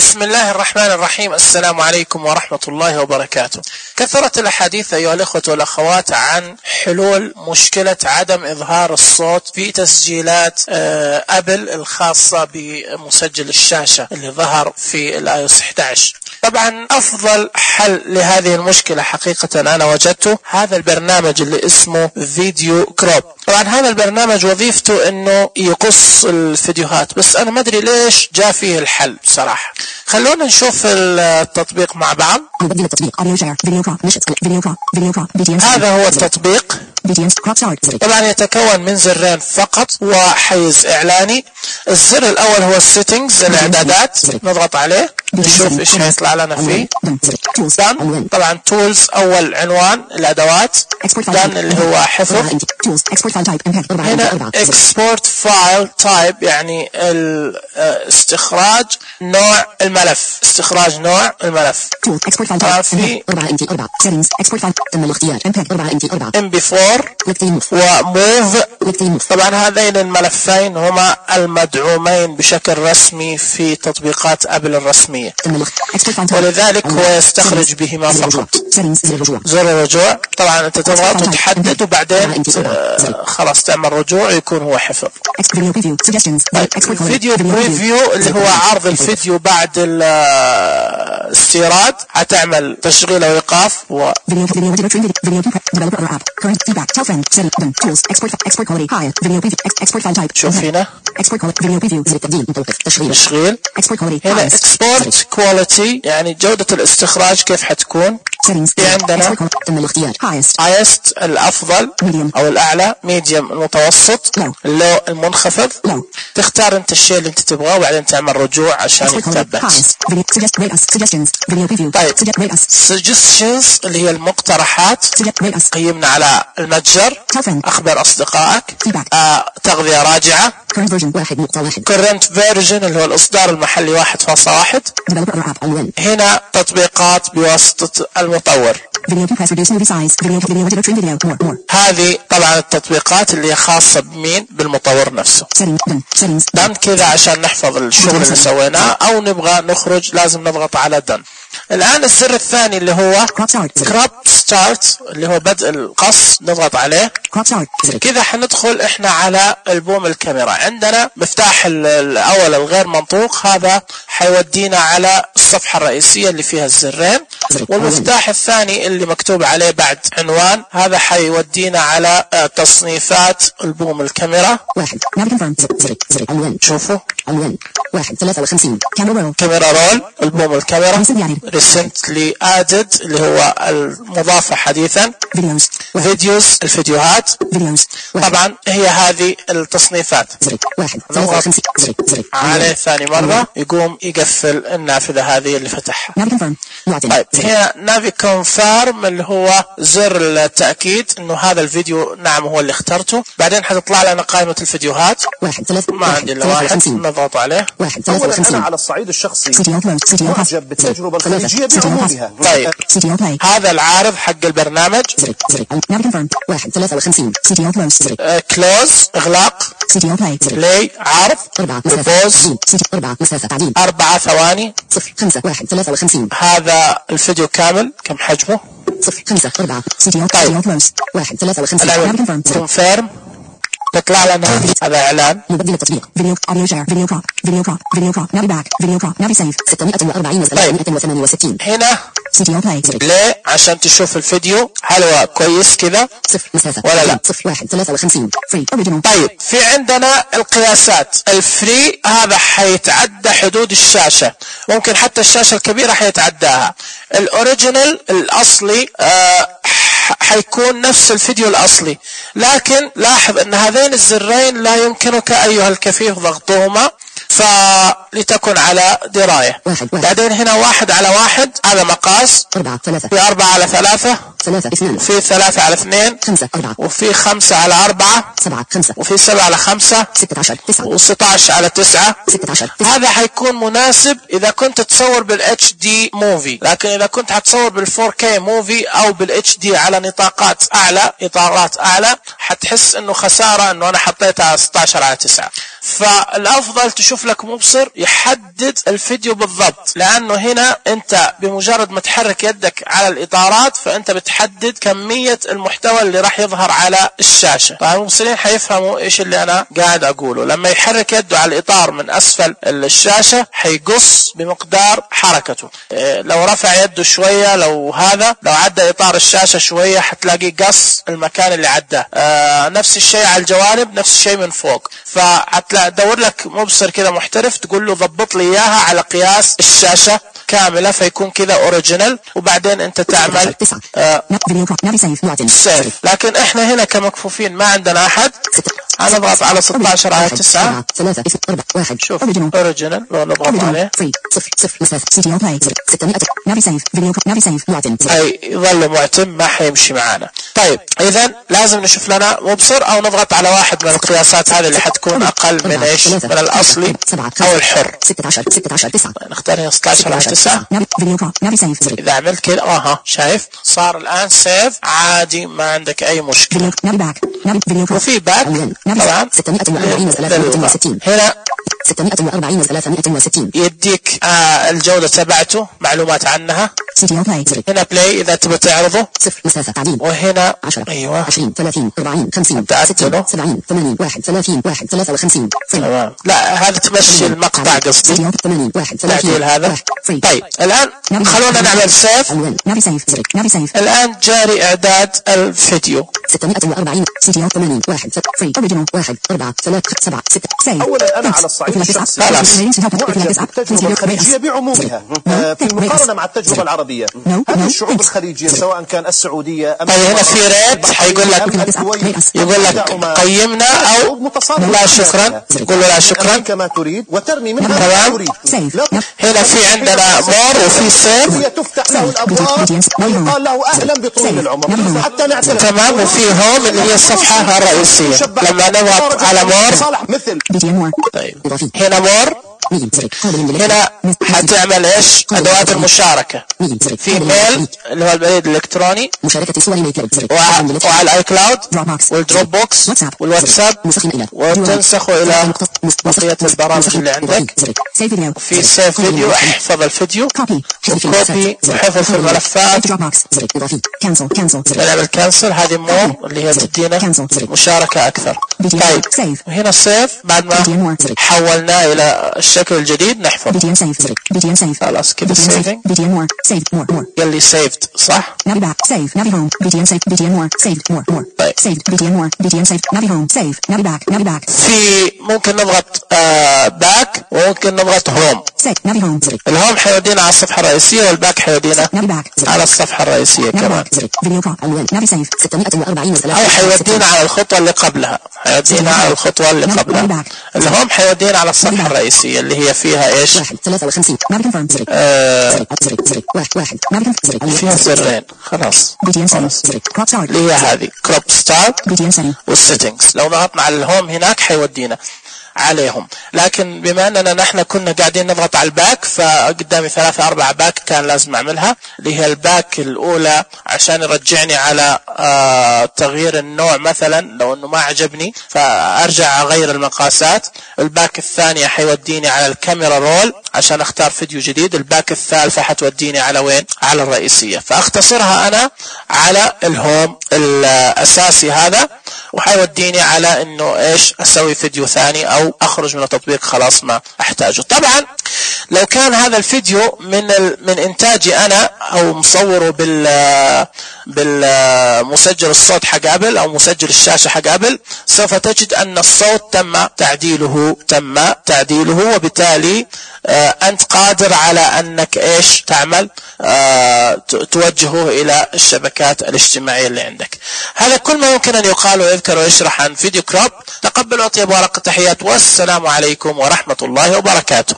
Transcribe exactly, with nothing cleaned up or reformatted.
بسم الله الرحمن الرحيم. السلام عليكم ورحمة الله وبركاته. كثرت الأحاديث أيها الأخوة والأخوات عن حلول مشكلة عدم إظهار الصوت في تسجيلات أبل الخاصة بمسجل الشاشة اللي ظهر في الاي او اس احد عشر. طبعا أفضل حل لهذه المشكلة حقيقة أنا وجدته هذا البرنامج اللي اسمه فيديو كروب. طبعا هذا البرنامج وظيفته انه يقص الفيديوهات، بس انا ما ادري ليش جاء فيه الحل بصراحة. خلونا نشوف التطبيق مع بعض. هذا هو التطبيق. طبعا يتكون من زرين فقط وحيز اعلاني. الزر الاول هو السيتنجز، الاعدادات، نضغط عليه نشوف ايش هيطلع لنا فيه. دان طبعا تولز اول عنوان الادوات، دان اللي هو حفظ. هنا اكسبورت فايل تايب يعني الاستخراج نوع الملف، استخراج نوع الملف. طبعا في ام بي فور وموف. طبعا هذين الملفين هما المدعومين بشكل رسمي في تطبيقات ابل الرسمية، ولذلك هو يستخرج بهما فقط. زر الرجوع طبعا انت تضغط وتحدد وبعدين خلاص تعمل رجوع يكون هو حفظ. فيديو بريفيو اللي هو عرض الفيديو بعد الاستيراد، هتعمل تشغيل او ايقاف و شوف هنا تشغيل. هنا اكسبورت كواليتي يعني جودة الاستخراج كيف حتكون. في عندنا highest الافضل او الاعلى، medium المتوسط، اللو المنخفض. تختار انت الشيء اللي انت تبغاه وبعدين تعمل رجوع عشان يتثبت. طيب suggestions اللي هي المقترحات، قيمنا على المتجر، اخبر اصدقائك، آه، تغذية راجعة، current version اللي هو الاصدار المحلي واحد فاصلة واحد. هنا تطبيقات بواسطة المطور. هذه طبعا التطبيقات اللي خاصة بمين؟ بالمطور نفسه. دن كذا عشان نحفظ الشغل اللي سويناه، او نبغى نخرج لازم نضغط على دن. الآن الزر الثاني اللي هو كروب ستارت اللي هو بدء القص، نضغط عليه كذا. حندخل احنا على البوم الكاميرا. عندنا مفتاح الاول الغير منطوق، هذا حيودينا على الصفحة الرئيسية اللي فيها الزرين. والمفتاح الثاني اللي مكتوب عليه بعد عنوان، هذا حيودينا على تصنيفات البوم الكاميرا. شوفوا كاميرا رول، البوم الكاميرا recently added اللي هو المضافة حديثا، فيديوز الفيديوهات. طبعا هي هذه التصنيفات. نضغط عليه ثاني مرة يقوم يقفل النافذة هذه اللي فتحها. طيب هنا نافي كونفيرم اللي هو زر التأكيد انه هذا الفيديو نعم هو اللي اخترته. بعدين حتطلع لنا قائمة الفيديوهات، ما عندي الا واحد، نضغط عليه. اولا انا على الصعيد الشخصي معجب بالتجربة الخارجية بعمومها. طيب هذا العارض حق البرنامج. كلوز اغلاق، بلاي عرض، بوز اربعة ثواني. هذا الفيديو كامل كم حجمه؟ طيب كونفيرم تطلع لنا هذا اعلان. مبدل التطبيق فيديو اوديو شير فيديو كروب فيديو كروب فيديو كروب نافي باك فيديو كروب نافي سيف ستمائة وأربعين وثلاثمائة وثمانية وستين. هنا سيديو بلاي ليه؟ عشان تشوف الفيديو هل هو كويس كذا ولا لا. واحد ثلاثة وخمسين فري اوريجينال. طيب في عندنا القياسات. الفري هذا حيتعدى حدود الشاشة، ممكن حتى الشاشة الكبيرة حيتعداها. الاوريجينال الاصلي آه حيكون نفس الفيديو الأصلي، لكن لاحظ أن هذين الزرين لا يمكنك أيها الكفيف ضغطهما، فلتكن على دراية. واحد واحد. بعدين هنا واحد على واحد، هذا مقاس. أربعة ثلاثة. في أربعة على ثلاثة. ثلاثة اثنان وفي ثلاثة على اثنين خمسة أربعة وفي خمسة على أربعة سبعة خمسة وفي سبعة على خمسة ستة عشر تسعة وستة عشر على تسعة ستة عشر تسعة. هذا حيكون مناسب إذا كنت تصور بالاتش دي موفي، لكن إذا كنت حتصور بالفور كي موفي أو بالاتش دي على نطاقات أعلى إطارات أعلى حتحس إنه خسارة إنه أنا حطيتها ستة عشر على تسعة. فالأفضل تشوف لك مبصر يحدد الفيديو بالضبط، لأنه هنا أنت بمجرد ما تحرك يدك على الإطارات فأنت بتحدد كمية المحتوى اللي راح يظهر على الشاشة. طبعا المبصرين حيفهموا إيش اللي أنا قاعد أقوله. لما يحرك يده على الإطار من أسفل الشاشة حيقص بمقدار حركته. إيه لو رفع يده شوية، لو هذا لو عدى إطار الشاشة شوية حتلاقي قص المكان اللي عداه. آه نفس الشيء على الجوانب، نفس الشيء من فوق. فهتدور لك مبصر كذا محترف تقول له ضبط لي إياها على قياس الشاشة كاملة فيكون كذا اوريجينال، وبعدين انت تعمل آه سيف. لكن احنا هنا كمكفوفين ما عندنا احد، انا اضغط على ستة عشر على تسعة شوف اوريجينال لو نضغط عليه اي يظل معتم ما حيمشي معنا. طيب اذا لازم نشوف لنا مبصر او نضغط على واحد من القياسات هذه اللي حتكون اقل من ايش من الاصلي او الحر. نختار هنا ستة عشر على تسعة. اذا عملت كده اها شايف صار الان سيف عادي ما عندك اي مشكلة. وفي باك طبعا هنا ستمائة وأربعين وثلاثمائة وستين يديك آه الجودة تبعته معلومات عنها. هنا بلاي إذا تبغى تعرضه صفر مسافة تعديل. وهنا عشرة أيوة عشرين ثلاثين أربعين خمسين ستين سبعين ثمانين واحد ثلاثين واحد ثلاثة وخمسين. تمام. لا هذا تمشي المقطع قصدي ثمانين واحد تعديل هذا. طيب الآن خلونا نعمل سيف. الآن جاري إعداد الفيديو. ستمائة وأربعين ثمانين واحد فري أوريجينال واحد أربعة ثلاثة سبعة ستة. أولا أنا على الصعيد الشخصي معجب بالتجربة الخليجية بعمومها في المقارنة مع التجربة العربية. هذه الشعوب الخليجية سواء كان السعودية أم طيب هنا في ريت حيقول لك يقول لك قيمنا أو لا شكرا، قول له لا شكرا كما تريد وترمي منها ما تريد. هنا في عندنا مور وفي سيف. هي تفتح له الأبواب ويقال له أهلا بطول العمر حتى نعترف. تمام. وفي هوم اللي هي الصفحة الرئيسية لما نضغط على مور. طيب هنا مور هنا حتعمل ايش ادوات المشاركة. في ميل اللي هو البريد الالكتروني مشاركة صور ايميل وعلى الاي كلاود والدروب بوكس والواتساب وتنسخه الى بقية البرامج اللي عندك. في سيف فيديو احفظ الفيديو كوبي وحفظ في الملفات. نعمل كانسل هذه مو اللي هي تدينا مشاركة اكثر. طيب وهنا سيف بعد ما حولناه الى الشكل الجديد نحفظ خلاص كده سيفينج قال لي سيفد صح. في ممكن نضغط باك وممكن نضغط هوم. الهوم حيودينا على الصفحة الرئيسية والباك حيودينا على الصفحة الرئيسية كمان أو حيودينا على الخطوة اللي قبلها حيودينا على الخطوة اللي قبلها. الهوم حيودينا على الصفحة الرئيسية اللي هي فيها ايش آه فيها زرين خلاص اللي هي هذه كروب ستارت والسيتنجز. لو ضغطنا على الهوم هناك حيودينا عليهم. لكن بما اننا نحن كنا قاعدين نضغط على الباك فقدامي ثلاثة اربعة باك كان لازم اعملها اللي هي الباك الاولى عشان يرجعني على آه تغيير النوع مثلا لو انه ما عجبني فارجع اغير المقاسات. الباك الثانية حيوديني على الكاميرا رول عشان اختار فيديو جديد. الباك الثالثة حتوديني على وين على الرئيسية. فاختصرها انا على الهوم الاساسي هذا وحيوديني على انه ايش اسوي فيديو ثاني او اخرج من التطبيق خلاص ما احتاجه. طبعا لو كان هذا الفيديو من من انتاجي انا او مصوره بال بالمسجل الصوت حق ابل او مسجل الشاشة حق ابل سوف تجد ان الصوت تم تعديله تم تعديله وبالتالي آه انت قادر على انك ايش تعمل آه توجهه الى الشبكات الاجتماعية اللي عندك. هذا كل ما يمكن ان يقال ويذكر ويشرح عن فيديو كروب. تقبلوا اطيب ورق التحيات والسلام عليكم ورحمة الله وبركاته.